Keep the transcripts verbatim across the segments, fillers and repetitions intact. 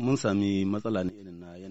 Mun sami matsala ne.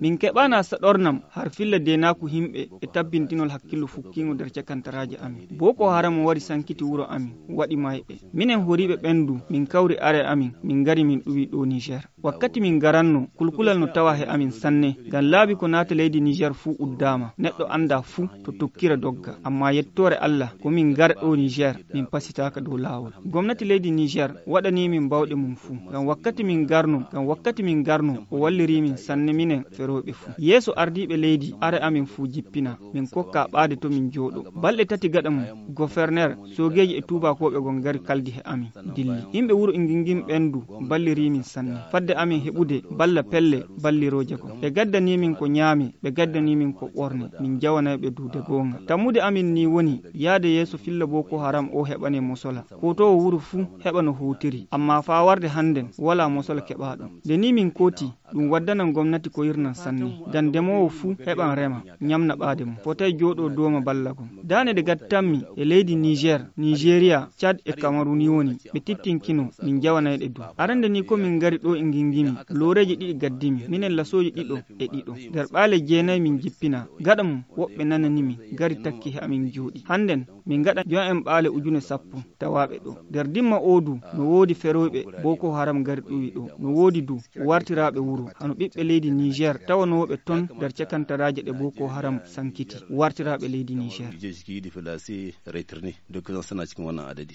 Min keɓaana saɗornam har filla deenaaku yimɓe e tabbintinol hakkillu fukkiingo nder cakantaraaji amin. Boko Haram wari sankiti wuro amin, waɗi mayɓe. Minen horiiɓe ɓendu, min kawri are amin, min ngari min ɗuwi ɗo Niger. Wakkati min garanno, kulkulal no tawa he amin sanne, ngam laabi ko naata leydi Niger fuu uddaama. Neɗɗo annda fuu to tokkira dogga. Amma yettoore Allah, ko min ngara ɗo Niger, min pasitaaka dow laawol. Gomnati leydi Niger waɗani min bawɗe mum fuu. Ngam wakkati min garno, ngam wakkati min garno, o walliri min sanne minen ferooɓe fuu. Yeeso ardiiɓe leydi, are amin fuu jippina. Min kokka ɓaade to min jooɗo. Balɗe tati gaɗa mum, goferner, soogeeji e tuubakooɓe gon ngari kaldi he amin, dilli. Yimɓe wuro Ingingim ɓen du balliri min sanne. Fadde amin heɓude balla pelle ballirooje gon. Ɓe gaddani min ko nyaame, ɓe gaddani min ko ɓorne. Min jawanay ɓe duude goonga. Tammude amin ni woni yaade yeeso filla Boko Haram o heɓane mosola. Kootoowo wuro fuu heɓa no hootiri. Amma faa warde hannden, walaa mosola keɓaaɗo. Nde ni min kooti, ɗum waddanan gomnati ko yirnan sanne. Ngam demoowo fuu heɓan rema, nyamna ɓaade mum. Fotay jooɗoo dooma balla gon. Daane ɗe gattanmi e leydi Niger, Nigeria, Chad e Cameroun ni woni, ɓe tittinkino, min jawanay ɗe du. Arande ni ko min ngari ɗo e ngingimi, looreeji ɗiɗi gaddimi, minen lasooji ɗiɗo e ɗiɗo. Nder ɓaale jeenay min jippina. Gaɗa mum, woɓɓe nanani min, ngari takki he amin jooɗi. Hannden, min ngaɗa jo'en ɓaale ujune sappo tawaaɓe ɗo. Nder dimma oo du, no woodi ferooɓe Boko Haram ngari ɗuwi ɗo. No woodi du, wartiraaɓe wuro. Hano ɓiɓɓe leydi Niger, tawanooɓe ton nder cakantaraaje ɗe Boko Haram sankiti. Wartiraaɓe leydi Niger. Lijeji ki yiɗi fela si retirni. Dukkan suna cikin wannan adadi.